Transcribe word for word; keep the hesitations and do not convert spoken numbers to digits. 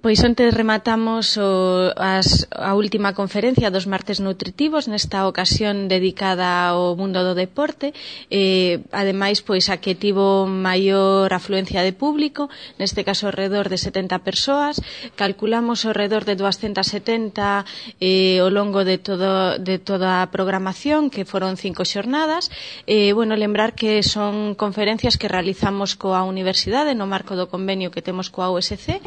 Pois onte rematamos o, as, a última conferencia dos martes nutritivos, nesta ocasión dedicada ao mundo do deporte, eh, ademais pois a que tivo maior afluencia de público, neste caso alrededor de setenta persoas, calculamos alrededor de duascentas setenta eh, ao longo de, todo, de toda a programación, que foron cinco xornadas. Eh, bueno, lembrar que son conferencias que realizamos coa Universidade no marco do convenio que temos coa U S C,